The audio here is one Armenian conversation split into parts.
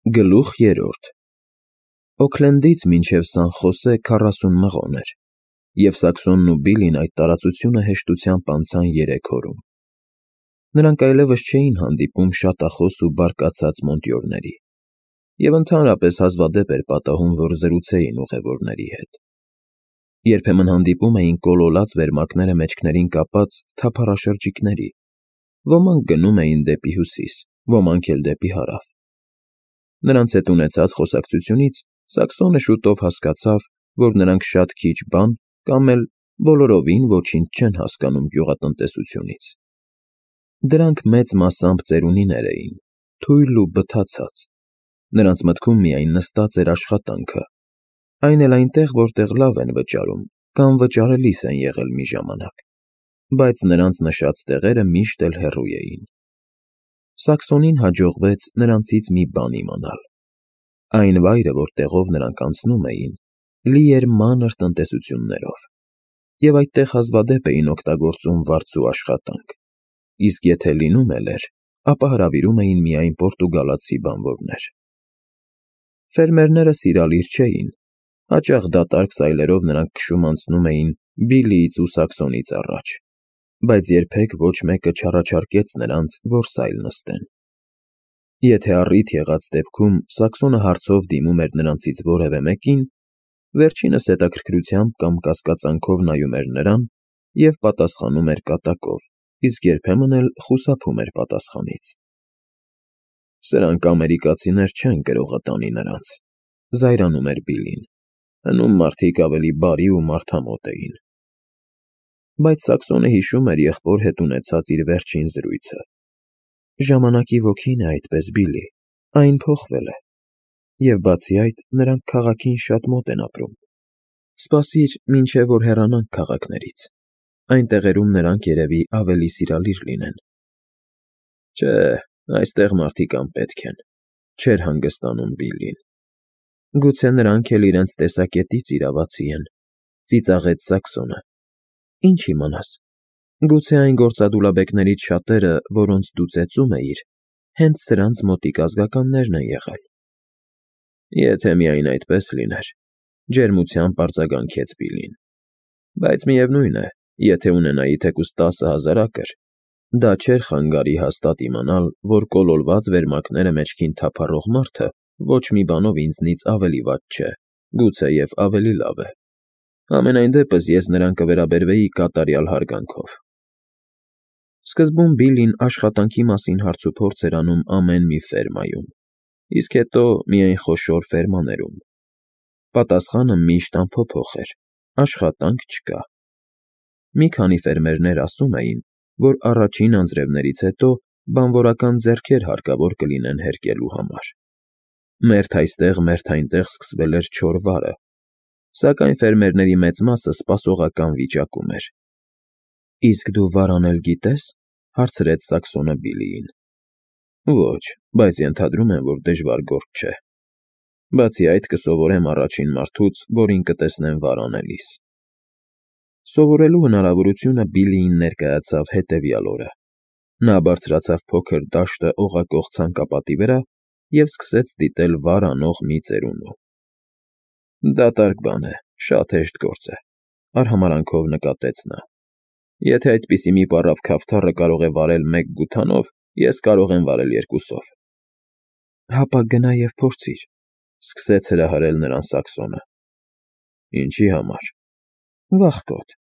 Գլուխ 3 Օքլենդից մինչև Սան Խոսե 40 մղոն էր, և Սաքսոնն ու Բիլին այդ տարածությունը հեշտությամբ անցան 3 օրում։ Նրանք այլևս չէին հանդիպում շատախոս ու բարկացած մոնտյորների, և ընդհանրապես հազվադեպ էր պատահում, որ զրուցեին ուղևորների հետ։ Երբեմն հանդիպում էին կոլոլած վերմակները մեջքներին կապած թափառաշրջիկների, ոմանք գնում էին դեպի հյուսիս, ոմանք էլ դեպի հարավ։ Նրանց հետ ունեցած խոսակցությունից Սաքսոնը շուտով հասկացավ, որ նրանք շատ քիչ բան կամ էլ բոլորովին ոչինչ չեն հասկանում գյուղատնտեսությունից։ Դրանք մեծ մասամբ ծերունիներ էին, թույլ ու բթացած։ Նրանց մտքում միայն նստած էր աշխատանքը, այն էլ այնտեղ, որտեղ լավ են վճարում կամ վճարելիս են եղել մի ժամանակ, բայց նրանց նշած տեղերը միշտ էլ հեռու էին։ Սաքսոնին հաջողվեց նրանցից մի բան իմանալ. այն վայրը, որտեղով նրանք անցնում էին, լի էր մանր տնտեսություններով, և այդտեղ հազվադեպ էին օգտագործում վարձու աշխատանք, իսկ եթե լինում էլ էր, ապա հրավիրում էին միայն պորտուգալացի բանվորներ։ Ֆերմերները սիրալիր չէին, հաճախ դատարկ սայլերով նրանք քշում անցնում էին Բիլիից ու Սաքսոնից առաջ, բայց երբեք ոչ մեկը չառաջարկեց նրանց, որ սայլ նստեն։ Եթե առիթ եղած դեպքում Սաքսոնը հարցով դիմում էր նրանցից որևէ մեկին, վերջինս հետաքրքրությամբ կամ կասկածանքով նայում էր նրան և պատասխանում էր կատակով, իսկ երբեմն էլ խուսափում էր պատասխանից։ «Սրանք ամերիկացիներ չեն, գրողը տանի նրանց», զայրանում էր Բիլին, «հնում մարդիկ ավելի բարի ու մարդամոտ էին»։ Բայց Սաքսոնը հիշում էր եղբոր հետ ունեցած իր վերջին զրույցը. «Ժամանակի ոգին է այդպես, Բիլի, այն փոխվել է, և բացի այդ, նրանք քաղաքին շատ մոտ են ապրում։ Սպասիր, մինչև որ հեռանանք քաղաքներից, այն տեղերում նրանք երևի ավելի սիրալիր լինեն»։ «Չէ, այստեղ մարդիկ անպետք են», չէր հանգստանում Բիլին։ «Գուցե նրանք էլ իրենց տեսակետից իրավացի են», ծիծաղեց Սաքսոնը։ «Ինչ իմանաս, գուցե այն գործադուլաբեկներից շատերը, որոնց դու ծեծում էիր, հենց սրանց մոտիկ ազգականներն են եղել»։ «Եթե միայն այդպես լիներ», ջերմությամբ արձագանքեց Բիլին, «բայց միևնույն է, եթե ունենայի թեկուզ 10,000 ակր, դա չէր խանգարի հաստատ իմանալ, որ կոլոլված վերմակները մեջքին թափառող մարդը ոչ մի բանով ինձնից ավելի վատ չէ, գուցեև ավելի լավ է։ Համենայն դեպս ես նրան կվերաբերվեի կատարյալ հարգանքով»։ Սկզբում Բիլին աշխատանքի մասին հարցուփորձ էր անում ամեն մի ֆերմայում, իսկ հետո միայն խոշոր ֆերմաներում։ Պատասխանը միշտ անփոփոխ էր. աշխատանք չկա։ Մի քանի ֆերմերներ ասում էին, որ առաջին անձրևներից հետո բանվորական ձեռքեր հարկավոր կլինեն հերկելու համար։ Մերթ այստեղ, մերթ այնտեղ սկսվել էր չոր վարը, սակայն ֆերմերների մեծ մասը սպասողական վիճակում էր։ «Իսկ դու վար անել գիտե՞ս», հարցրեց Սաքսոնը Բիլիին։ «Ոչ, բայց ենթադրում եմ, որ դժվար գործ չէ։ Բացի այդ, կսովորեմ առաջին մարդուց, որին կտեսնեմ վար անելիս»։ Սովորելու հնարավորությունը Բիլիին ներկայացավ հետևյալ օրը։ Նա բարձրացավ փոքր դաշտը օղակող ցանկապատի վրա և սկսեց դիտել վար անող մի ծերունու։ «Դատարկ բան է, շատ հեշտ գործ է», արհամարհանքով նկատեց նա։ «Եթե այդպիսի մի պառավ քավթառը կարող է վարել 1 գութանով, ես կարող եմ վարել 2-ով»։ «Հապա գնա և փորձիր», սկսեց հրահրել նրան Սաքսոնը։ «Ինչի համար»։ «Վախկոտ»,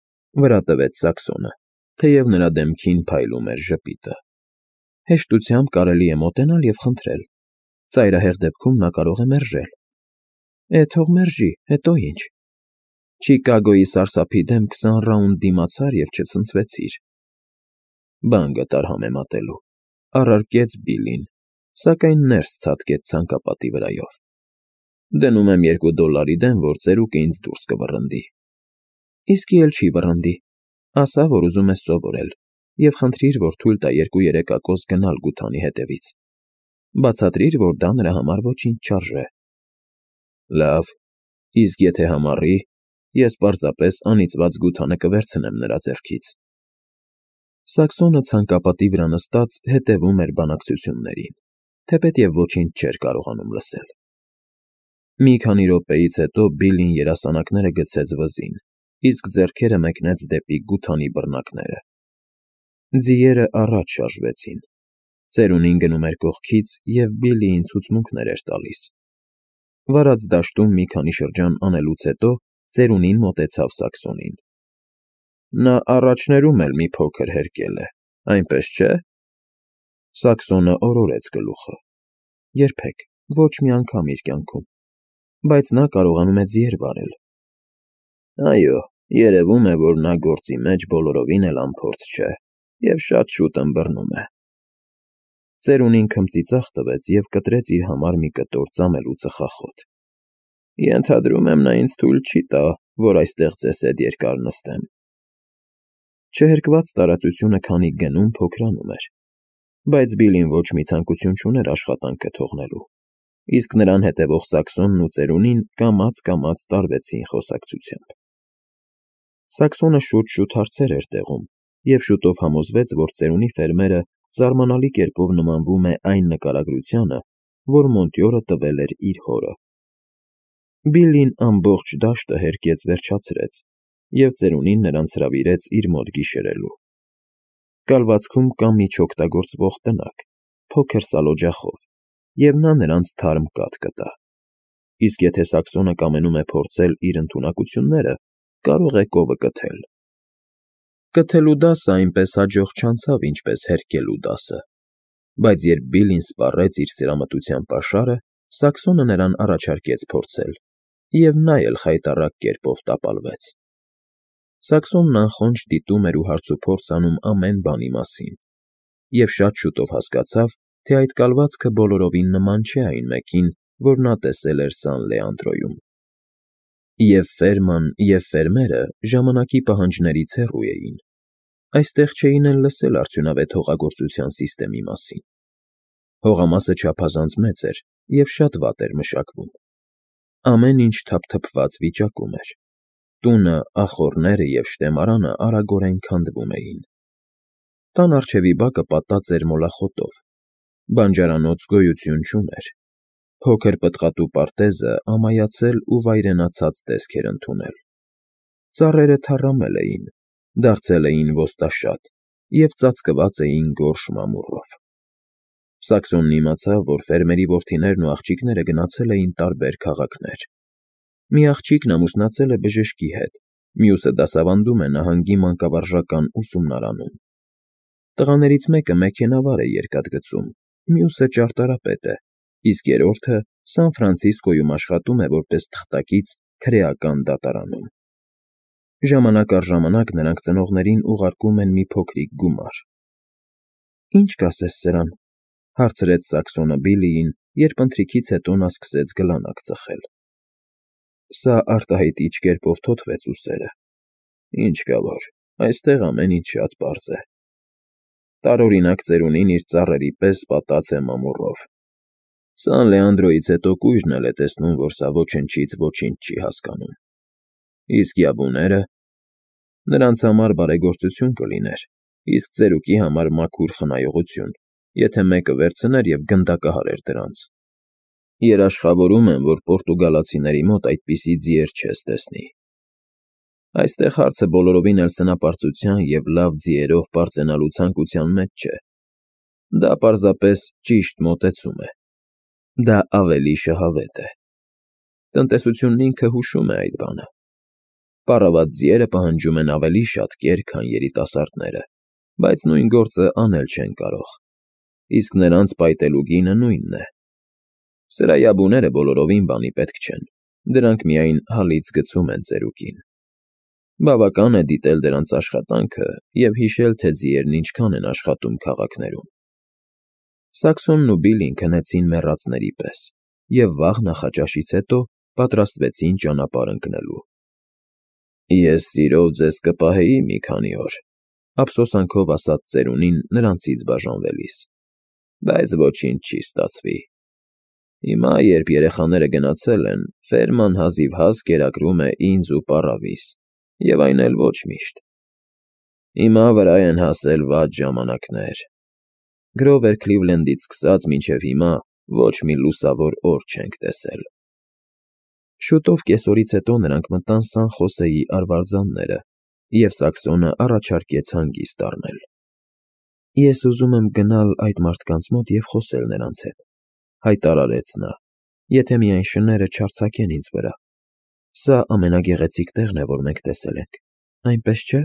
վրա տվեց Սաքսոնը, թեև նրա դեմքին փայլում էր ժպիտը։ «Հեշտությամբ կարելի է մոտենալ և խնդրել, ծայրահեղ դեպքում նա կարող է մերժել»։ «Թող մերժի, հետո ինչ։ Չիկագոյի սարսափի դեմ 20 ռաունդ դիմացար և չցնցվեցիր»։ «Բան գտար համեմատելու», առարկեց Բիլին, սակայն ներս ցատկեց ցանկապատի վրայով։ «Դնում եմ $2 դեմ, որ ծերուկը ինձ դուրս կվռնդի»։ «Իսկի էլ չի վռնդի, ասա, որ ուզում ես սովորել, և խնդրիր, որ թույլ տա 2-3 ակոս գնալ գութանի հետևից։ Բացատրիր, որ դա նրա համար ոչինչ չարժե»։ «Լավ, իսկ եթե համառի, ես պարզապես անիծված գութանը կվերցնեմ նրա ձեռքից»։ Սաքսոնը ցանկապատի վրա նստած հետևում էր բանակցություններին, թեպետև ոչինչ չէր կարողանում լսել։ Մի քանի րոպեից հետո Բիլլին երասանակները գցեց վզին, իսկ ձեռքերը մեկնեց դեպի գութանի բռնակները։ Ձիերը առաջ շարժվեցին։ Ծերունին գնում էր կողքից և Բիլլիին ցուցմունքներ էր տալիս։ Վարած դաշտում մի քանի շրջան անելուց հետո ծերունին մոտեցավ Սաքսոնին։ Նա առաջներում էլ մի փոքր հերկել է, այնպես չէ՞։ Սաքսոնը օրորեց գլուխը։ Երբեք, ոչ մի անգամ իր կյանքում, բայց նա կարողանում է ձիեր վարել։ Այո, երևում է, որ նա գործի մեջ բոլորովին էլ անփորձ չէ և շատ շուտ ըմբռնում է։ Ծերունին քմծիծաղ տվեց և կտրեց իր համար մի կտոր ծամելու ծխախոտ։ Ենթադրում եմ, նա ինձ թույլ չի տա, որ այստեղ ձեզ հետ երկար նստեմ։ Չհերկված տարածությունը քանի գնում փոքրանում էր, բայց Բիլլին ոչ մի ցանկություն չուներ աշխատանքը թողնելու, իսկ նրան հետևող Սաքսոնն ու ծերունին կամաց-կամաց տարվեցին խոսակցությամբ։ Սաքսոնը շուտ-շուտ հարցեր էր տեղում և շուտով համոզվեց, որ ծերունի ֆերմերը զարմանալի կերպով նմանվում է այն նկարագրությանը, որ Մոնտյորը տվել էր իր հորը։ Բիլլին ամբողջ դաշտը հերկեց վերջացրեց, և ծերունին նրանց հրավիրեց իր մոտ գիշերելու։ Կալվածքում կա միջօգտագործվող տնակ, փոքր սալօջախով, և նա նրանց թարմ կաթ կտա։ Իսկ եթե Սաքսոնը կամենում է փորձել իր ընդունակությունները, կարող է կովը կթել։ Կթելու դասը այնպես հաջող չանցավ, ինչպես հերկելու դասը, բայց երբ Բիլլին սպառեց իր սիրամտության պաշարը, Սաքսոնը նրան առաջարկեց փորձել, և նա էլ խայտառակ կերպով տապալվեց։ Սաքսոնն անխոնջ դիտում էր ու հարցուփորձ անում ամեն բանի մասին, և շատ շուտով հասկացավ, թե այդ կալվածքը բոլորովին նման չէ այն մեկին, որ նա տեսել էր Սան Լեանդրոյում։ Եվ ֆերման, և ֆերմերը ժամանակի պահանջներից հեռու էին։ Այստեղ չէին էլ լսել արդյունավետ հողագործության սիստեմի մասին։ Հողամասը չափազանց մեծ էր և շատ վատ էր մշակվում։ Ամեն ինչ թափթփված վիճակում էր։ Տունը, ախոռները և շտեմարանը արագորեն քանդվում էին։ Տան առջևի բակը պատած էր մոլախոտով։ Բանջարանոց գոյություն չուներ։ Փոքր պտղատու պարտեզը ամայացել ու վայրենացած տեսք էր ընդունել։ Ծառերը թառամել էին, դարձել էին ոստաշատ և ծածկված էին գորշ մամուռով։ Սաքսոնն իմացավ, որ ֆերմերի որդիներն ու աղջիկները գնացել էին տարբեր քաղաքներ։ Մի աղջիկն ամուսնացել է բժշկի հետ, մյուսը դասավանդում է նահանգի մանկավարժական ուսումնարանում։ Տղաներից մեկը մեքենավար է երկաթգծում, մյուսը ճարտարապետ է, իսկ երրորդը Սան Ֆրանցիսկոյում աշխատում է որպես թղթակից քրեական դատարանում։ Ժամանակ առ ժամանակ նրանք ծնողներին ուղարկում են մի փոքրիկ գումար։ Ի՞նչ կասես սրան, հարցրեց Սաքսոնը Բիլլիին, երբ ընթրիքից հետո նա սկսեց գլանակ ծխել։ Սա արտահայտիչ կերպով թոթվեց ուսերը։ Ինչ կա որ, այստեղ ամեն ինչ շատ պարզ է։ Տարօրինակ ծերունին իր ծառերի պես պատած է մամուռով։ Սան Լեանդրոյից հետո կույրն էլ է տեսնում, որ սա ոչնչից ոչինչ չի հասկանում։ Իսկ յաբուները… Նրանց համար բարեգործություն կլիներ, իսկ ծերուկի համար մաքուր խնայողություն, եթե մեկը վերցներ և գնդակահարեր դրանց։ Երաշխավորում եմ, որ պորտուգալացիների մոտ այդպիսի ձիեր չես տեսնի։ Այստեղ հարցը բոլորովին էլ սնապարծության և լավ ձիերով պարծենալու ցանկության մեջ չէ։ Դա պարզապես ճիշտ մոտեցում է։ Դա ավելի շահավետ է։ Տնտեսությունն ինքը հուշում է այդ բանը։ Պառավատ ձիերը պահանջում են ավելի շատ կեր, քան երիտասարդները, բայց նույն գործը անել չեն կարող։ Իսկ նրանց պայտելու գինը նույնն է։ Սրա յաբուները բոլորովին բանի պետք չեն, դրանք միայն հալից գցում են ծերուկին։ Բավական է դիտել դրանց աշխատանքը և հիշել, թե ձիերն ինչքան են աշխատում քաղաքներում։ Սաքսոնն ու Բիլլին քնեցին մեռածների պես և վաղ նախաճաշից հետո պատրաստվեցին ճանապարհ ընկնելու։ Ես սիրով ձեզ կպահեի մի քանի օր, ափսոսանքով ասաց ծերունին նրանցից բաժանվելիս, բայց ոչինչ չի ստացվի։ Հիմա, երբ երեխաները գնացել են, ֆերման հազիվհազ կերակրում է ինձ ու պառավիս, և այն էլ ոչ միշտ։ Հիմա վրա են հասել վատ ժամանակներ։ Գրովեր Քլիվլենդից սկսած մինչև հիմա ոչ մի լուսավոր օր չենք տեսել։ Շուտով կեսօրից հետո նրանք մտան Սան Խոսեի արվարձանները, և Սաքսոնը առաջարկեց հանգիստ առնել։ Ես ուզում եմ գնալ այդ մարդկանց մոտ և խոսել նրանց հետ, հայտարարեց նա, եթե միայն շները չարձակեն ինձ վրա։ Սա ամենագեղեցիկ տեղն է, որ մենք տեսել ենք, այնպես չէ՞։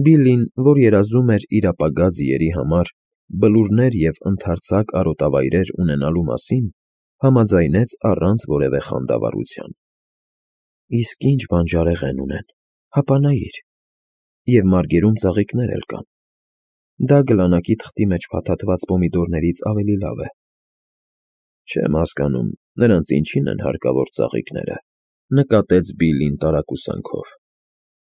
Բիլլին, որ երազում էր իր ապագա ձիերի համար բլուրներ և ընդարձակ արոտավայրեր ունենալու մասին, համաձայնեց առանց որևէ խանդավառության։ Իսկ ինչ բանջարեղեն ունեն, հապանայիր, և մարգերում ծաղիկներ էլ կան։ Դա գլանակի թղթի մեջ փաթաթված պոմիդորներից ավելի լավ է։ Չեմ հասկանում, նրանց ինչին են հարկավոր ծաղիկները, նկատեց Բիլլին տարակուսանքով։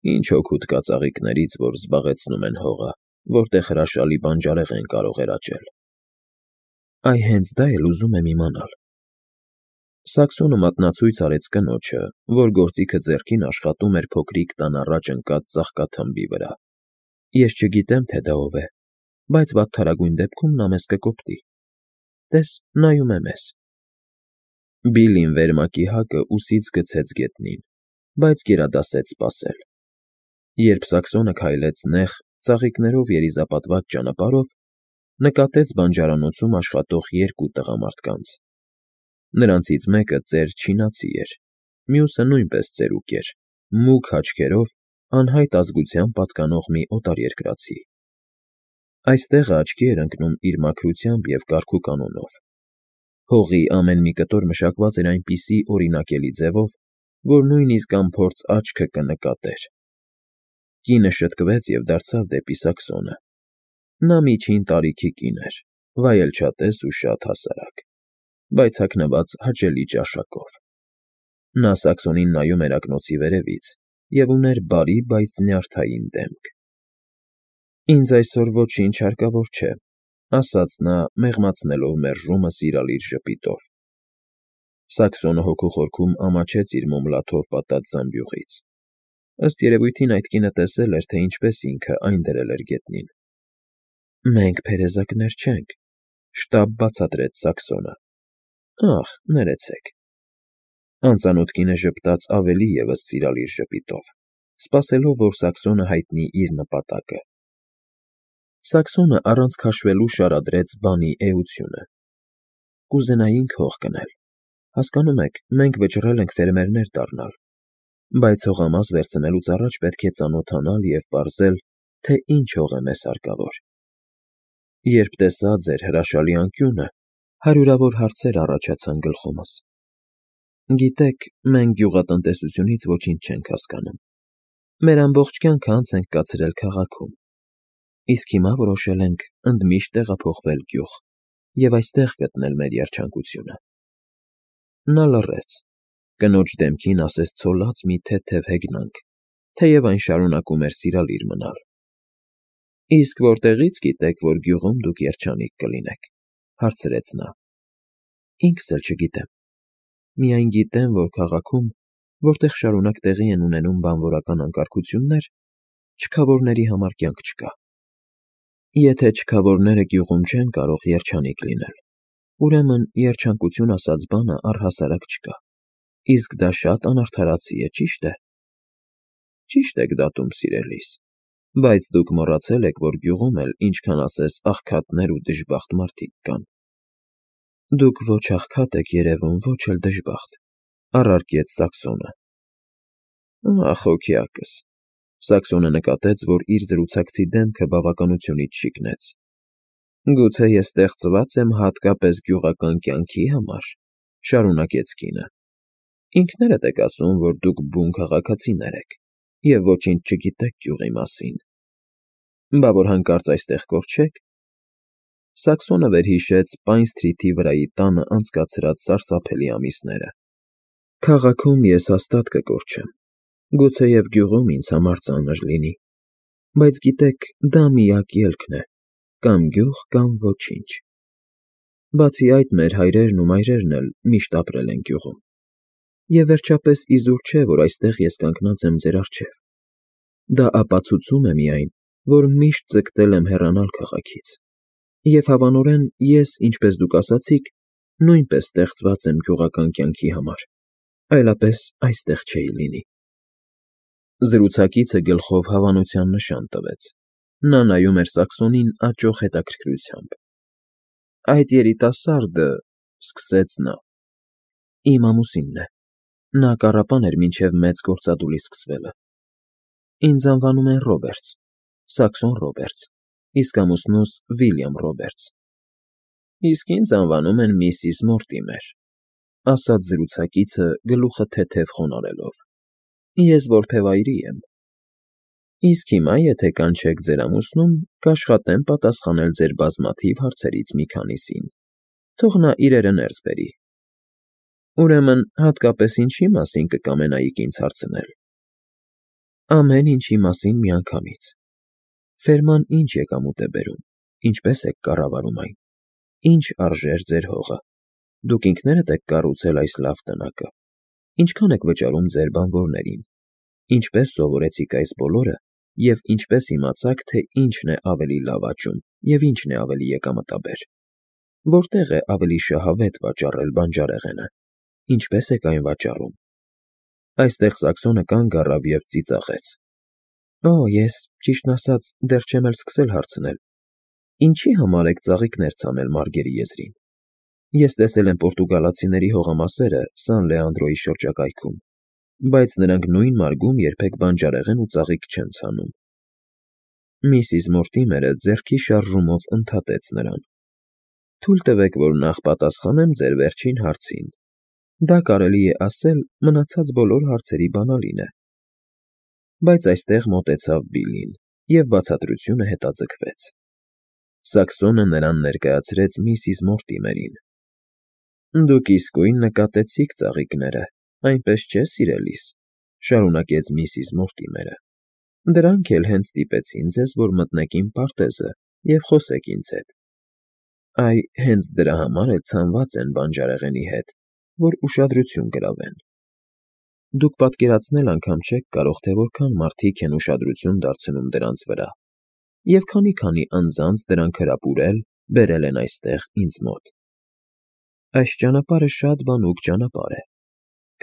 Ինչ օգուտ կա ծաղիկներից, որ զբաղեցնում են հողը, որտեղ հրաշալի բանջարեղեն կարող էր աճել։ Այ հենց դա էլ ուզում եմ իմանալ։ Սաքսոնը մատնացույց արեց կնոջը, որ գործիքը ձեռքին աշխատում էր փոքրիկ տան առաջ ընկած ծաղկաթմբի վրա։ Ես չգիտեմ, թե դա ով է, բայց վատթարագույն դեպքում նա մեզ կկոպտի։ Տես, նայում է մեզ։ Բիլլին վերմակի հակը ուսից գցեց գետնին, բայց գերադասեց սպասել։ Երբ Սաքսոնը քայլեց նեղ, ծաղիկներով երիզապատված ճանապարհով, նկատեց բանջարանոցում աշխատող երկու տղամարդկանց։ Նրանցից մեկը ծեր չինացի էր, մյուսը նույնպես ծերուկ էր, մուգ աչքերով, անհայտ ազգության պատկանող մի օտարերկրացի։ Այստեղը աչքի էր ընկնում իր մաքրությամբ և կարգուկանոնով։ Հողի ամեն մի կտոր մշակված էր այնպիսի օրինակելի ձևով, որ նույնիսկ անփորձ աչքը կնկատեր։ Կինը շտկվեց և դարձավ դեպի Սաքսոնը։ Նա միջին տարիքի կին էր, վայելչատես ու շատ հասարակ, բայց հագնված հաճելի ճաշակով։ Նա Սաքսոնին նայում էր ակնոցի վերևից և ուներ բարի, բայց նյարդային դեմք։ Ինձ այսօր ոչինչ հարկավոր չէ, ասաց նա, մեղմացնելով մերժումը սիրալիր ժպիտով։ Սաքսոնը հոգու խորքում ամաչեց իր մոմլաթով պատած զամբյուղից։ Ըստ երևույթին այդ կինը տեսել էր, թե ինչպես ինքը այն դրել էր գետնին։ Մենք փերեզակներ չենք, շտապ բացատրեց Սաքսոնը։ Ախ, ներեցեք։ Անծանոթ կինը ժպտաց ավելի ևս սիրալիր ժպիտով, սպասելով, որ Սաքսոնը հայտնի իր նպատակը։ Սաքսոնը առանց քաշվելու շարադրեց բանի էությունը։ Կուզենայինք հող գնել։ Հասկանում եք, մենք վճռել ենք ֆերմերներ դառնալ, բայց հողամաս վերցնելուց առաջ պետք է ծանոթանալ և պարզել, թե ինչ հող է մեզ հարկավոր։ Երբ տեսա ձեր հրաշալի անկյունը, հարյուրավոր հարցեր առաջացան գլխումս։ Գիտեք, մենք գյուղատնտեսությունից ոչինչ չենք հասկանում։ Մեր ամբողջ կյանքը անց ենք կացրել քաղաքում, իսկ հիմա որոշել ենք ընդմիշտ տեղափոխվել գյուղ և այստեղ գտնել մեր երջանկությունը։ Նա լռեց։ Կնոջ դեմքին ասես ցոլած մի թեթև հեգնանք, թեև այն շարունակում էր սիրալիր մնալ։ Իսկ որտեղի՞ց գիտեք, որ գյուղում դուք երջանիկ կլինեք, հարցրեց նա։ Ինքս էլ չգիտեմ։ Միայն գիտեմ, որ քաղաքում, որտեղ շարունակ տեղի են ունենում բանվորական անկարգություններ, չքավորների համար կյանք չկա։ Եթե չքավորները գյուղում չեն կարող երջանիկ լինել, ուրեմն երջանկություն ասած բանը առհասարակ չկա։ Իսկ դա շատ անարդարացի է, ճիշտ է։ Ճիշտ եք դատում, սիրելիս, բայց դուք մոռացել եք, որ գյուղում էլ ինչքան ասես աղքատներ ու դժբախտ մարդիկ կան։ Դուք ոչ աղքատ եք երևում, ոչ էլ դժբախտ, առարկեց Սաքսոնը։ Ախ, հոգյակս։ Սաքսոնը նկատեց, որ իր զրուցակցի դեմքը բավականությունից շիկնեց։ Գուցե ես ստեղծված եմ հատկապես գյուղական կյանքի համար, շարունակեց կինը։ Ինքներդ եք ասում, որ դուք բուն քաղաքացիներ եք և ոչինչ չգիտեք գյուղի մասին։ Բա որ հանկարծ այստեղ կորչեք։ Սաքսոնը վերհիշեց Պայն Սթրիթի վրայի տանը անցկացրած սարսափելի ամիսները։ Քաղաքում ես հաստատ կկորչեմ, գուցեև գյուղում ինձ համար ծանր լինի, բայց գիտեք, դա միակ ելքն է, կամ գյուղ, կամ ոչինչ։ Բացի այդ, մեր հայրերն ու մայրերն էլ միշտ ապրել են գյուղում։ Եվ վերջապես իզուր չէ, որ այստեղ ես կանգնած եմ ձեր առջև։ Դա ապացուցում է միայն, որ միշտ ձգտել եմ հեռանալ քաղաքից։ Եվ հավանորեն ես, ինչպես դուք ասացիք, նույնպես ստեղծված եմ գյուղական կյանքի համար, այլապես այստեղ չէի լինի։ Զրուցակիցը գլխով հավանության նշան տվեց։ Նա նայում էր Սաքսոնին աճող հետաքրքրությամբ։ Այդ երիտասարդը, սկսեց նա, իմ ամուսինն է։ Նա կառապան էր մինչև մեծ գործադուլի սկսվելը։ Ինձ անվանում են Ռոբերտս, Սաքսոն Ռոբերտս, իսկ ամուսնուս Վիլյամ Ռոբերտս։ Իսկ ինձ անվանում են Միսիս Մորտիմեր, ասաց զրուցակիցը գլուխը թեթև խոնարհելով։ Ես որբևայրի եմ։ Իսկ հիմա, եթե կանչեք ձեր ամուսնուն, կաշխատեմ պատասխանել ձեր բազմաթիվ հարցերից մի քանիսին։ Թող նա իրերը ներս բերի։ Ուրեմն, հատկապես ինչի մասին կկամենայիք ինձ հարցնել։ Ամեն ինչի մասին միանգամից։ Ֆերման ինչ եկամուտ է բերում, ինչպես եք կառավարում այն, ինչ արժեր ձեր հողը, դուք ինքներդ եք կառուցել այս լավ տնակը, ինչքան եք վճարում ձեր բանվորներին, ինչպես սովորեցիք այս բոլորը և ինչպես իմացաք, թե ինչն է ավելի լավ աճում և ինչն է ավելի եկամտաբեր, որտեղ է ավելի շահավետ վաճառել բանջարեղենը, ինչպես եք այն վաճառում։ Այստեղ Սաքսոնը կանգ առավ և ծիծաղեց։ Օ, ես, ճիշտն ասած, դեռ չեմ էլ սկսել հարցնել. ինչի համար եք ծաղիկներ ցանել Մարգերի եզրին։ Ես տեսել եմ պորտուգալացիների հողամասերը Սան Լեանդրոյի շրջակայքում, բայց նրանք նույն մարգում երբեք բանջարեղեն ու ծաղիկ չեն ցանում։ Միսիս Մորտիմերը ձեռքի շարժումով ընդհատեց նրան։ Թույլ տվեք, որ նախ պատասխանեմ ձեր վերջին հարցին։ Դա կարելի է ասել մնացած բոլոր հարցերի բանալին է։ Բայց այստեղ մոտեցավ Բիլլին, և բացատրությունը հետաձգվեց։ Սաքսոնը նրան ներկայացրեց Միսիս Մորտիմերին։ Դուք իսկույն նկատեցիք ծաղիկները, այնպես չէ, սիրելիս, շարունակեց Միսիս Մորտիմերը։ Դրանք էլ հենց ստիպեցին ձեզ, որ մտնեք իմ պարտեզը և խոսեք ինձ հետ։ Այ, հենց դրա համար էլ ցանված են բանջարեղենի հետ, որ ուշադրություն գրավեն։ Դուք պատկերացնել անգամ չեք կարող, թե որքան մարդիկ են ուշադրություն դարձնում դրանց վրա, և քանի անձանց դրանք հրապուրել, բերել են այստեղ ինձ մոտ։ Այս ճանապարհը շատ բանուկ ճանապարհ է։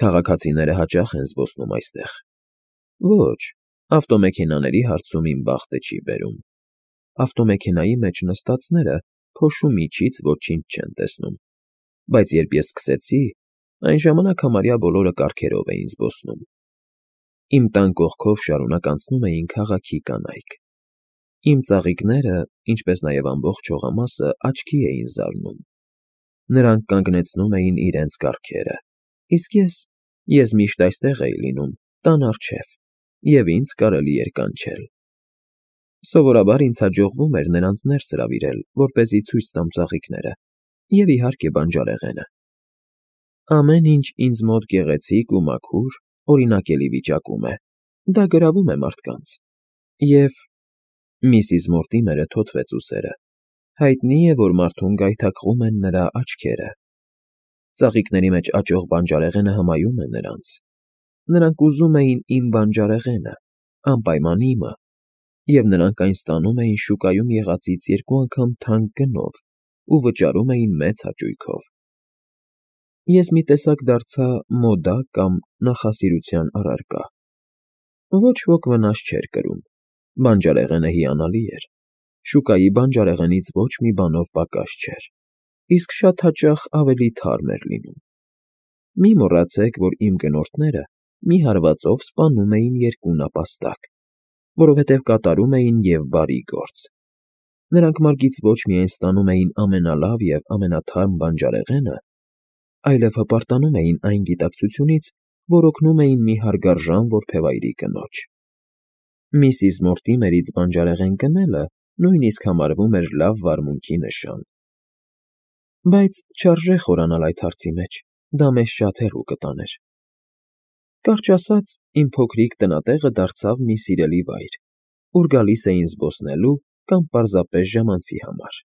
Քաղաքացիները հաճախ են զբոսնում այստեղ։ Ոչ, ավտոմեքենաների հարցում իմ բախտը չի բերում։ Ավտոմեքենայի մեջ նստածները փոշու միջից ոչինչ չեն տեսնում։ Բայց երբ ես սկսեցի, այն ժամանակ համարյա բոլորը կառքերով էին զբոսնում։ Իմ տան կողքով շարունակ անցնում էին քաղաքի կանայք։ Իմ ծաղիկները, ինչպես նաև ամբողջ հողամասը աչքի էին զարնում։ Նրանք կանգնեցնում էին իրենց կառքերը, իսկ ես միշտ այստեղ էի լինում, տան առջև, և ինձ կարելի էր կանչել։ Սովորաբար ինձ հաջողվում էր նրանց ներս հրավիրել, որպեսզի ցույց տամ ծաղիկները, և իհարկե բանջարեղենը։ Ամեն ինչ ինձ մոտ գեղեցիկ ու մաքուր, օրինակելի վիճակում է, դա գրավում է մարդկանց։ Եվ Միսիս Մորտիմերը թոթվեց ուսերը։ Հայտնի է, որ մարդուն գայթակղում են նրա աչքերը։ Ծաղիկների մեջ աճող բանջարեղենը հմայում է նրանց։ Նրանք ուզում էին իմ բանջարեղենը, անպայման իմը, և նրանք այն ստանում էին շուկայում եղածից 2 անգամ թանկ գնով ու վճարում էին մեծ հաճույքով։ Ես մի տեսակ դարձա մոդա կամ նախասիրության առարկա։ Ոչ ոք վնաս չէր կրում։ Բանջարեղենը հիանալի էր։ Շուկայի բանջարեղենից ոչ մի բանով պակաս չէր, իսկ շատ հաճախ ավելի թարմ էր լինում։ Մի մոռացեք, որ իմ գնորդները մի հարվածով սպանում էին 2 նապաստակ, որովհետև կատարում էին և բարի գործ։ Նրանք մարգից ոչ միայն ստանում էին ամենալավ և ամենաթարմ բանջարեղենը, այլև հպարտանում էին այն գիտակցությունից, որ օգնում էին մի հարգարժան որբևայրի կնոջ։ Միսիս Մորտիմերից բանջարեղեն գնելը նույնիսկ համարվում էր լավ վարմունքի նշան։ Բայց չարժե խորանալ այդ հարցի մեջ, դա մեզ շատ հեռու կտաներ։ Կարճ ասած, իմ փոքրիկ տնատեղը դարձավ մի սիրելի վայր, ուր գալիս էին զբոսնելու կամ պարզապես ժամանցի համար։